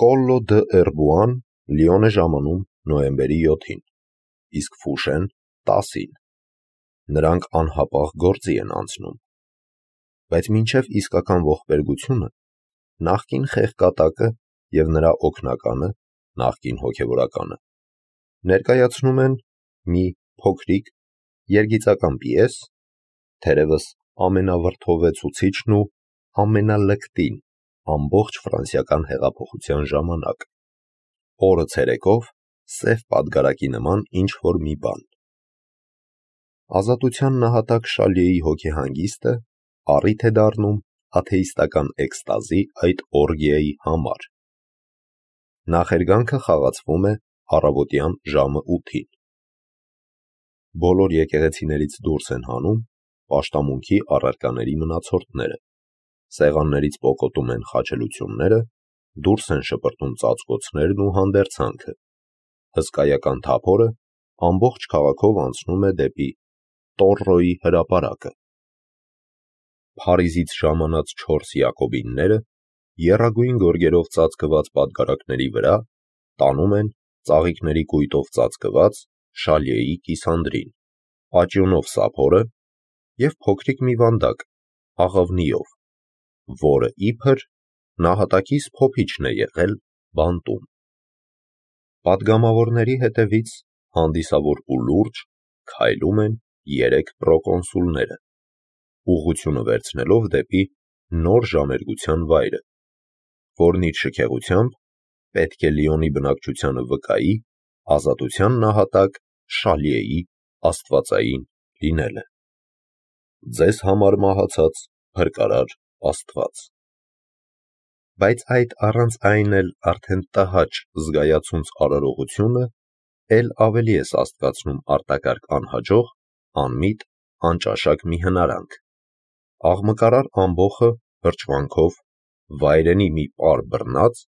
Կոլլո դը Էրբուան Լիոն է ժամանում նոյեմբերի 7-ին, իսկ Ֆուշեն 10-ին։ Նրանք անհապաղ գործի են անցնում։ Բայց մինչև իսկական ողբերգությունը նախկին խեղկատակը և նրա օգնականը, նախկին հոգևորականը, ներկայացնում են մի փոքրիկ երգիծական պիես, թերևս ամենավրդովեցուցիչն ու ամենալկտին ամբողջ ֆրանսիական հեղափոխության ժամանակ, օրը ցերեկով սև պատգարակի նման ինչ-որ մի բան։ Ազատության նահատակ Շալիեի հոգեհանգիստը առիթ է դառնում աթեիստական էքստազի այդ օրգիայի համար։ Նախերգանքը խաղացվում է առավոտյան ժամը 8-ին։ Բոլոր եկեղեցիներից դուրս են հանում պաշտամունքի առարկաների մնացորդները, սեղաններից պոկոտում են խաչելությունները, դուրս են շպրտում ծածկոցներն ու հանդերձանքը, հսկայական թափորը ամբողջ քաղաքով անցնում է դեպի Տորրոյի հրապարակը։ Փարիզից ժամանած 4 յակոբինները եռագույն գորգերով ծածկված պատգարակների վրա տանում են ծաղիկների կույտով ծածկված Շալիեի կիսանդրին, աճյունով սափորը և փոքրիկ մի վանդակ աղավնիով, որը իբր նահատակիս փոփիչն է եղել բանտում։ Պատգամավորների հետևից հանդիսավոր ու լուրջ քայլում են 3 պրոկոնսուլները, ուղղությունը վերցնելով դեպի նոր ժամերգության վայրը, որն իր շքեղությամբ պետք է Լիոնի բնակչությանը վկայի ազատության նահատակ Շալիեի աստվածային լինելը։ Ձեզ համար մահացած փրկարար Աստված։ Բայց այդ առանց այն էլ արդեն տհաճ զգայացունց արարողությունը էլ ավելի է սաստկացնում արտակարգ անհաջող, անմիտ, անճաշակ մի հնարանք։ Աղմկարար ամբոխը հրճվանքով, վայրենի մի պար բռնած,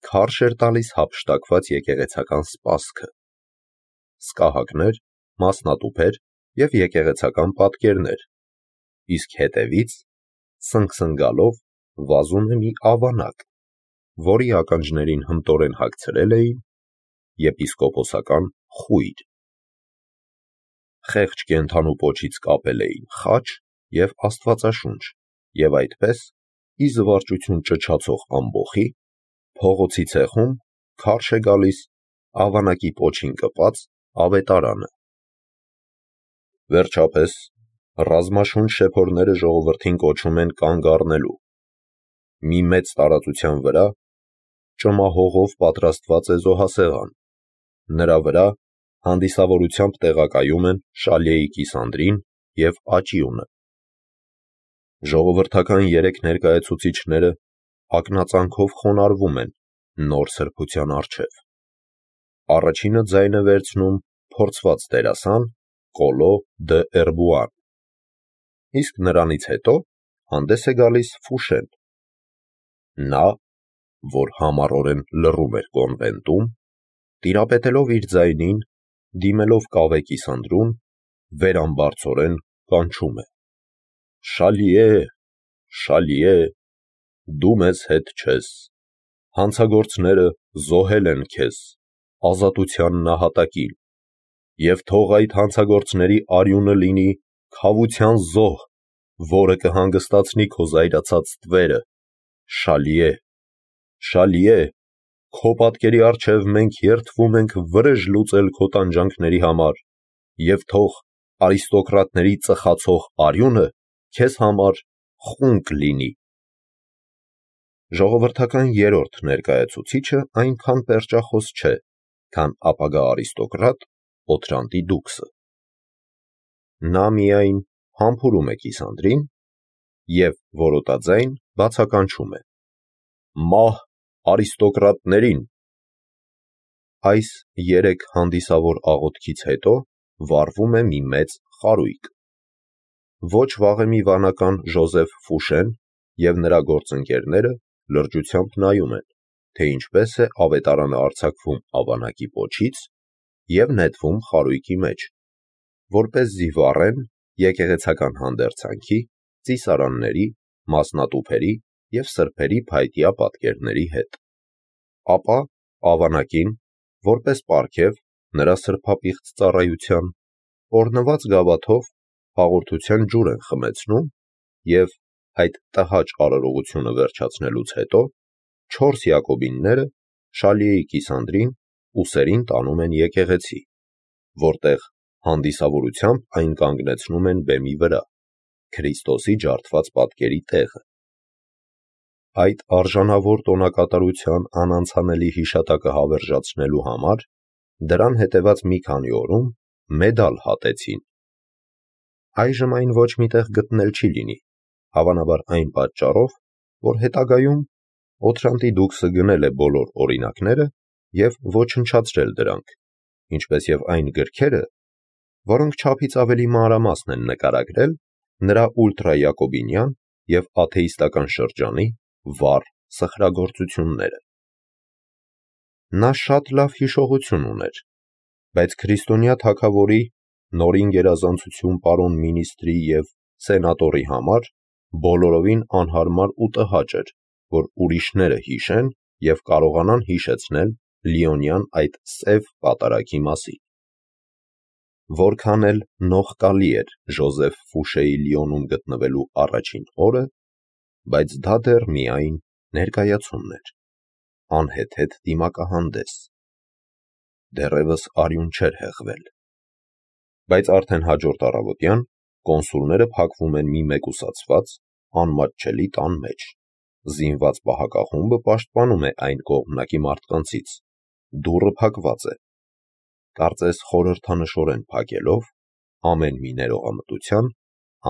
քարշ էր տալիս հափշտակված եկեղեցական սպասքը։ Սկահակներ, մասնատուփեր և եկեղեցական պատկերներ, իսկ հետևից սնգսնգալով վազում է մի ավանակ, որի ականջներին հմտորեն հագցրել էին եպիսկոպոսական խույր։ Խեղճ կենդանու պոչից կապել էին խաչ և աստվածաշունչ, և այդպես, ի զվարճություն ճչացող ամբոխի, փողոցի ցեխում քարշ է գալիս ավանակի պոչին կպած ավետարանը։ Վերջապես, ռազմաշունչ շեփորները ժողովրդին կոչում են կանգ առնելու։ Մի մեծ տարածության վրա ճմահողով պատրաստված է զոհասեղան, նրա վրա հանդիսավորությամբ տեղակայում են Շալիեի կիսանդրին և աճյունը։ Ժողովրդական 3 ներկայացուցիչները ակնածանքով խոնարհվում են նոր սրբության առջև։ Առաջինը ձայն է վերցնում փորձված դերասան Կոլո դը Էրբուան, իսկ նրանից հետո հանդես է գալիս Ֆուշեն։ Նա, որ համառորեն լռում էր կոնվենտում, տիրապետելով իր ձայնին, դիմելով կավե կիսանդրուն, վերամբարձորեն կանչում է. «Շալիե, Շալիե, դու մեզ հետ չես, հանցագործները զոհել են քեզ, ազատության նահատակին, և թող այդ հանցագործների արյունը լինի քավության զոհ, որը կհանգստացնի քո զայրացած տվերը, Շալիե, Շալիե, քո պատկերի առջև մենք երդվում ենք վրեժ լուծել քո տանջանքների համար, և թող արիստոկրատների ծխացող արյունը քեզ համար խունկ լինի»։ Ժողովրդական 3-րդ ներկայացուցիչը այնքան պերճախոս չէ, քան ապագա արիստոկրատ Օթրանտի դուքսը։ Նա միայն համբուրում է կիսանդրին և որոտաձայն բացականչում է. «Մահ արիստոկրատներին»։ Այս 3 հանդիսավոր աղոթքից հետո վառվում է մի մեծ խարույկ։ Ոչ վաղեմի վանական Ժոզեֆ Ֆուշեն և նրա գործընկերները լրջությամբ նայում են, թե ինչպես է ավետարանը արձակվում ավանակի պոչից և նետվում խարույկի մեջ, որպեսզի վառեն եկեղեցական հանդերձանքի, ծիսարանների, մասնատուփերի և սրբերի փայտյա պատկերների հետ։ ապա ավանակին, որպես պարգև նրա սրբապիղծ ծառայության, օրհնված գավաթով հաղորդության ջուր են խմեցնում և այդ տհաճ արարողությունը վերջացնելուց հետո 4 յակոբինները Շալիեի կիսանդրին ուսերին տանում են եկեղեցի, որտեղ հանդիսավորությամբ այն կանգնեցնում են բեմի վրա, Քրիստոսի ջարդված պատկերի տեղը։ Այդ արժանավոր տոնակատարության անանցանելի հիշատակը հավերժացնելու համար դրան հետևած մի քանի օրում մեդալ հատեցին։ Այժմ այն ոչ միտեղ գտնել չի լինի, հավանաբար այն պատճառով, որ հետագայում Օթրանտի դուքսը գնել է բոլոր օրինակները և ոչնչացրել դրանք, ինչպես և այն գրքերը, որոնք չափից ավելի մանրամասն են նկարագրել նրա ուլտրայակոբինյան և աթեիստական շրջանի վառ սխրագործությունները։ Նա շատ լավ հիշողություն ուներ, բայց քրիստոնյա թագավորի, նորին գերազանցություն պարոն մինիստրի և սենատորի համար բոլորովին անհարմար ու տհաճ էր, որ ուրիշները հիշեն և կարողանան հիշեցնել Լիոնյան այդ սև պատարագի մասին։ Որքան էլ նողկալի էր Ժոզեֆ Ֆուշեի Լիոնում գտնվելու առաջին օրը, բայց դա դեռ միայն ներկայացումն էր, անհեթեթ դիմակահանդես։ Դեռևս արյուն չէր հեղվել։ Բայց արդեն հաջորդ առավոտյան կոնսուլները փակվում են մի մեկուսացված, անմատչելի տան մեջ, զինված պահակախումբը պաշտպանում է այն կողմնակի մարդկանցից, դուռը փակված է, կարծես խորհրդանշորեն փակելով ամեն մի ներողամտության,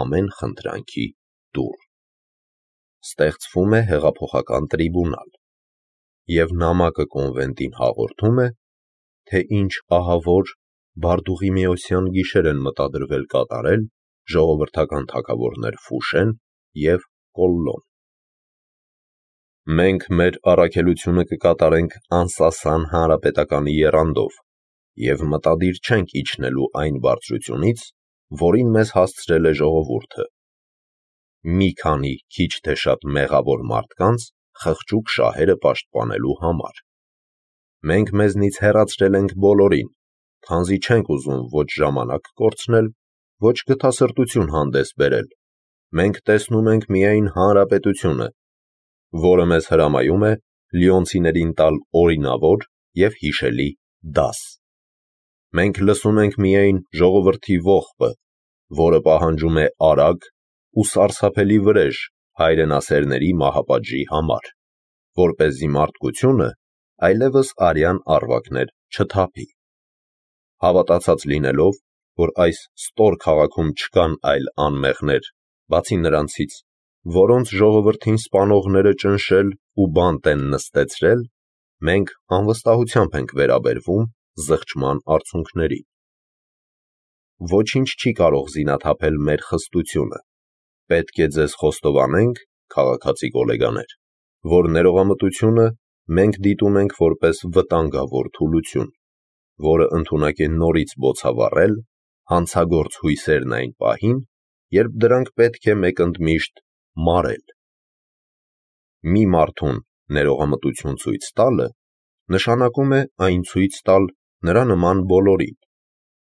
ամեն խնդրանքի դուռ։ Ստեղծվում է հեղափոխական տրիբունալ, և նամակը կոնվենտին հաղորդում է, թե ինչ ահավոր Բարդուղիմեոսյան գիշեր են մտադրվել կատարել ժողովրդական թագավորներ Ֆուշեն և Կոլլոն։ Մենք մեր առաքելությունը կկատարենք անսասան հանրապետականի եռանդով և մտադիր չենք իջնելու այն բարձրությունից, որին մեզ հասցրել է ժողովուրդը, մի քանի քիչ թե շատ մեղավոր մարդկանց խղճուկ շահերը պաշտպանելու համար։ Մենք մեզնից հեռացրել ենք բոլորին, քանզի չենք ուզում ոչ ժամանակ կորցնել, ոչ գթասրտություն հանդես բերել։ Մենք տեսնում ենք միայն հանրապետությունը, որը մեզ հրամայում է լիոնցիներին տալ օրինավոր և հիշելի դաս։ Մենք լսում ենք միայն ժողովրդի ողբը, որը պահանջում է արագ ու սարսափելի վրեժ հայրենասերների մահապատժի համար, որպեսզի մարդկությունը այլևս արյան առվակներ չթափի։ Հավատացած լինելով, որ այս ստոր քաղաքում չկան այլ անմեղներ, բացի նրանցից, որոնց ժողովրդին սպանողները ճնշել ու բանտ են նստեցրել, մենք անվստահությամբ ենք վերաբերվում զղջման արդյունքներին։ Ոչինչ չի կարող զինաթափել մեր խստությունը։ Պետք է ձեզ խոստովանենք, քաղաքացի գոլեգաներ, որ ներողամտությունը մենք դիտում ենք որպես վտանգավոր թուլություն, որը ընդունակ է նորից բոցավառել հանցագործ հույսերն այն պահին, երբ դրանք պետք է մեկընդմիշտ մարել։ Մի մարդուն ներողամտություն ցույց տալը նշանակում է այն ցույց տալ նրա նման բոլորին,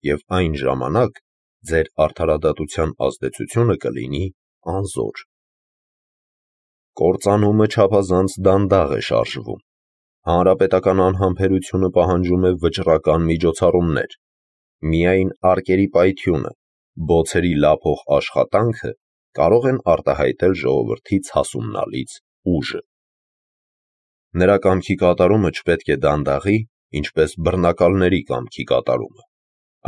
և այն ժամանակ ձեր արդարադատության ազդեցությունը կլինի անզոր։ Կործանումը չափազանց դանդաղ է շարժվում։ Հանրապետական անհամբերությունը պահանջում է վճռական միջոցառումներ։ Միայն արկերի պայթյունը, բոցերի լափող աշխատանքը կարող են արտահայտել ժողովրդի ցասումնալից ուժը։ Նրա կամքի կատարումը չպետք է դանդաղի, ինչպես բռնակալների կամքի կատարումը։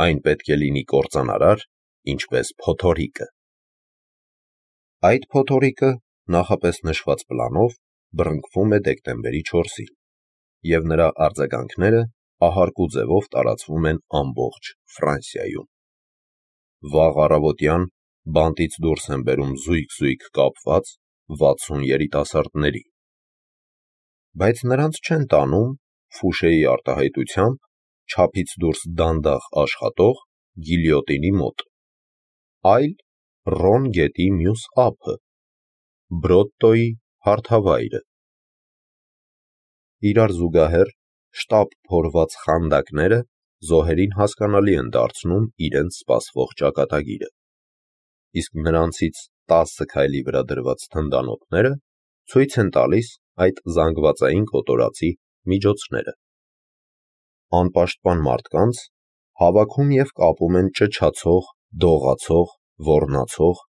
Այն պետք է լինի կործանարար, ինչպես փոթորիկը։ Այդ փոթորիկը նախապես նշված պլանով բռնկվում է դեկտեմբերի 4-ին, և նրա արձագանքները ահարկու ձևով տարածվում են ամբողջ Ֆրանսիայում։ Վաղ առավոտյան բանտից դուրս են բերում զույգ-զույգ կապված 60 երիտասարդների։ Բայց նրանց չեն տանում Ֆուշեի արտահայտությամբ չափից դուրս դանդաղ աշխատող գիլյոտինի մոտ, այլ Ռոն գետի մյուս ափը, Բրոտտոյի հարթավայրը։ իրար զուգահեռ շտապ փորված խանդակները զոհերին հասկանալի են դարձնում իրենց սպասվող ճակատագիրը, իսկ նրանցից 10 քայլի վրա դրված թնդանոթները ցույց են տալիս այդ զանգվածային կոտորածի միջոցները։ Անպաշտպան մարդկանց հավաքում և կապում են ճչացող, դողացող, ոռնացող,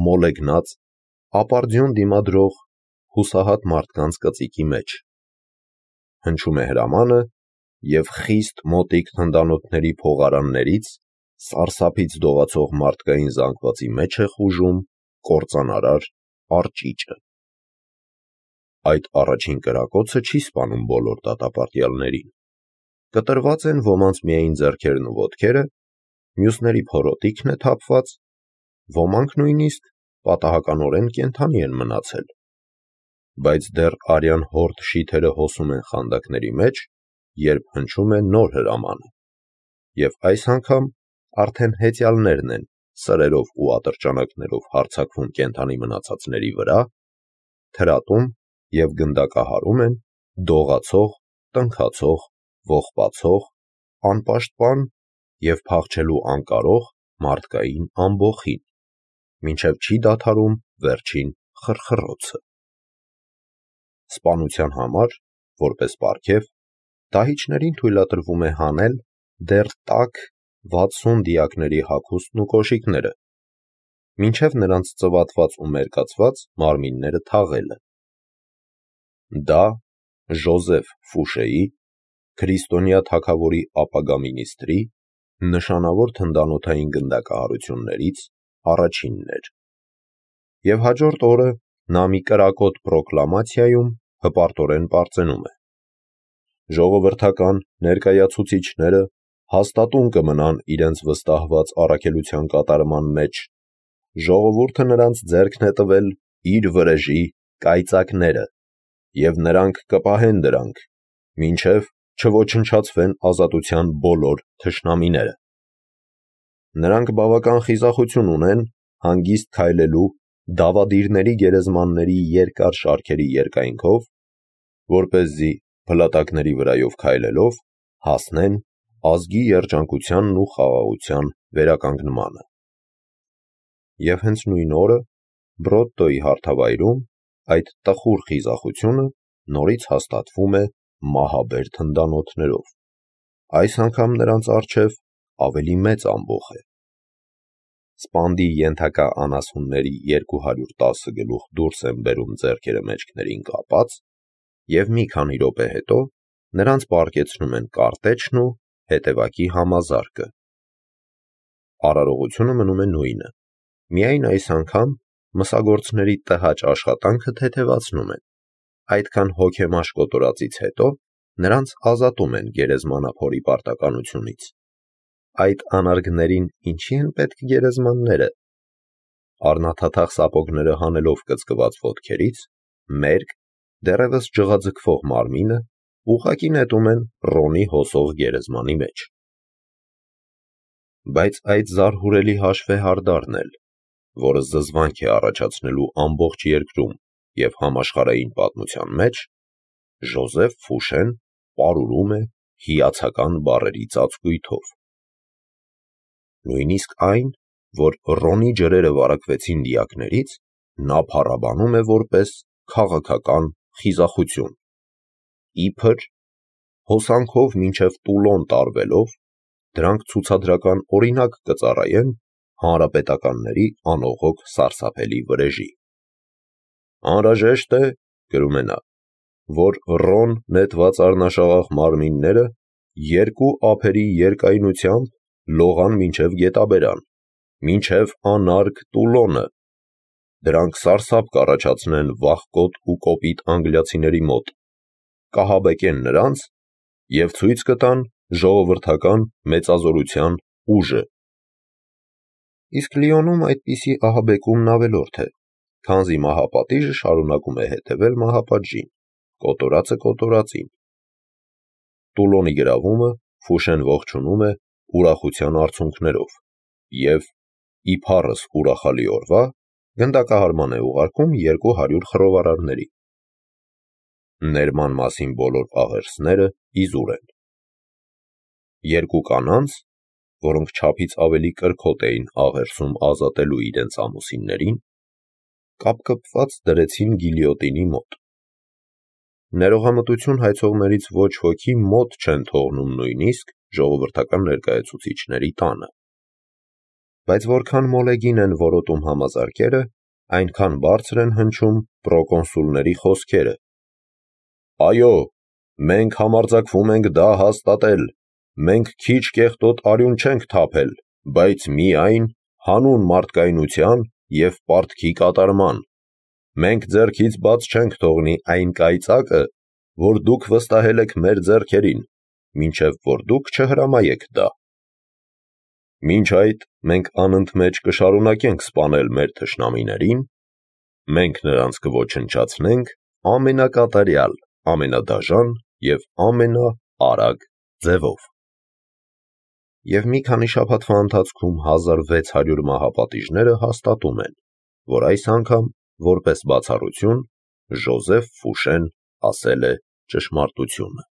մոլեգնած, ապարդյուն դիմադրող, հուսահատ մարդկանց կծիկի մեջ։ Հնչում է հրամանը, և խիստ մոտիկ թնդանոթների փողարաններից սարսափից դողացող մարդկային զանգվածի մեջ է խուժում կործանարար արճիճը։ Այդ առաջին կրակոցը չի սպանում բոլոր դատապարտյալներին։ Կտրված են ոմանց միայն ձեռքերն ու ոտքերը, մյուսների փորոտիքն է թափված, ոմանք նույնիսկ պատահականորեն կենդանի են մնացել, բայց դեռ արյան հորդ շիթերը հոսում են խանդակների մեջ, երբ հնչում է նոր հրամանը, և այս անգամ արդեն հեծյալներն են սրերով ու ատրճանակներով հարձակվում կենդանի մնացածների վրա, թրատում և գնդակահարում են դողացող, տնքացող, ողբացող, անպաշտպան և փախչելու անկարող մարդկային ամբոխին, մինչև չի դադարում վերջին խրխռոցը։ Սպանության համար, որպես պարգև, դահիճներին թույլատրվում է հանել դեռ տաք 60 դիակների հագուստն ու կոշիկները, մինչև նրանց ծվատված ու մերկացված մարմինները թաղելը։ Դա Ժոզեֆ Ֆուշեի, քրիստոնյա թագավորի ապագա մինիստրի, նշանավոր թնդանոթային գնդակահարություններից առաջինն էր, և հաջորդ օրը նա մի կրակոտ պրոկլամացիայում հպարտորեն պարծենում է. «Ժողովրդական ներկայացուցիչները հաստատուն կմնան իրենց վստահված առաքելության կատարման մեջ, ժողովուրդը նրանց ձեռքն է տվել իր վրեժի կայծակները, և նրանք կպահեն դրանք, մինչև չոչնչացվեն ազատության բոլոր թշնամիները։ Նրանք բավական խիզախություն ունեն հանգիստ քայլելու դավադիրների գերեզմանների երկար շարքերի երկայնքով, որպեսզի փլատակների վրայով քայլելով հասնեն ազգի երջանկությանն ու խաղաղության վերականգնմանը»։ Եվ հենց նույն օրը Բրոդտոյի հարթավայրում այդ տխուր խիզախությունը նորից հաստատվում է մահաբեր թնդանոթներով, այս անգամ նրանց առջև ավելի մեծ ամբոխ է։ Սպանդի ենթակա անասունների 210 գլուխ դուրս են բերում ձեռքերը մեջքներին կապած, և մի քանի րոպե հետո նրանց պառկեցնում են կարտեչն ու հետևակի համազարկը։ Արարողությունը մնում է նույնը, միայն այս անգամ մսագործների տհաճ աշխատանքը թեթևացնում են, այդքան հոգեմաշ կոտորածից հետո նրանց ազատում են գերեզմանափորի պարտականությունից։ Այդ անարգներին ինչի են պետք գերեզմանները։ Առնաթաթախ սապոգները հանելով կծկված ոտքերից, մերկ, դեռևս ջղաձգվող մարմինը ուղղակի նետում են Ռոնի հոսող գերեզմանի մեջ։ Բայց այդ զարհուրելի հաշվեհարդարն էլ, որը զզվանք է առաջացնելու ամբողջ երկրում և համաշխարհային պատմության մեջ, Ժոզեֆ Ֆուշեն պարուրում է հիացական բառերի ծածկույթով։ Նույնիսկ այն, որ Ռոնի ջրերը վարակվեցին դիակներից, նա փառաբանում է որպես քաղաքական խիզախություն։ Իբր հոսանքով մինչև Տուլոն տարվելով, դրանք ցուցադրական օրինակ կծառայեն հանրապետականների անողոք սարսափելի վրեժի։ Անհրաժեշտ է, գրում է նա, որ Ռոն նետված առնաշաղախ մարմինները 2 ափերի երկայնությամբ լողան մինչև գետաբերան, մինչև անարգ Տուլոնը։ Դրանք սարսափ կառաջացնեն վախկոտ ու կոպիտ անգլիացիների մոտ, կահաբեկեն նրանց և ցույց կտան ժողովրդական մեծազորության ուժը։ Իսկ Լիոնում այդպիսի ահաբեկումն ավելորդ է, քանզի մահապատիժը շարունակում է հետևել մահապատժին, կոտորածը կոտորածին։ Տուլոնի գրավումը Ֆուշեն ողջունում է ուրախության արցունքներով և, ի փառս ուրախալի օրվա, գնդակահարման է ուղարկում 200 խռովարարների։ ներման մասին բոլոր աղերսները իզուր են։ Երկու կանանց, որոնք չափից ավելի կրքոտ էին աղերսում ազատելու իրենց ամուսիններին, կապկպված դրեցին գիլյոտինի մոտ։ Ներողամտություն հայցողներից ոչ ոքի մոտ չեն թողնում նույնիսկ ժողովրդական ներկայացուցիչների տանը։ Բայց որքան մոլեգին են որոտում համազարկերը, այնքան բարձր են հնչում պրոկոնսուլների խոսքերը։ Այո, մենք համարձակվում ենք դա հաստատել, մենք քիչ կեղտոտ արյուն չենք թափել, բայց միայն հանուն մարդկայնության և պարտքի կատարման։ Մենք ձեռքից բաց չենք թողնի այն կայծակը, որ դուք վստահել եք մեր ձեռքերին, մինչև որ դուք չհրամայեք դա։ Մինչ այդ մենք անընդմեջ կշարունակենք սպանել մեր թշնամիներին, մենք նրանց կոչնչացնենք ամենակատարյալ, ամենադաժան և ամենաարագ ձևով։ Եվ մի քանի շաբաթվա ընթացքում 1600 մահապատիժները հաստատում են, որ այս անգամ, որպես բացառություն, Ժոզեֆ Ֆուշեն ասել է ճշմարտությունը։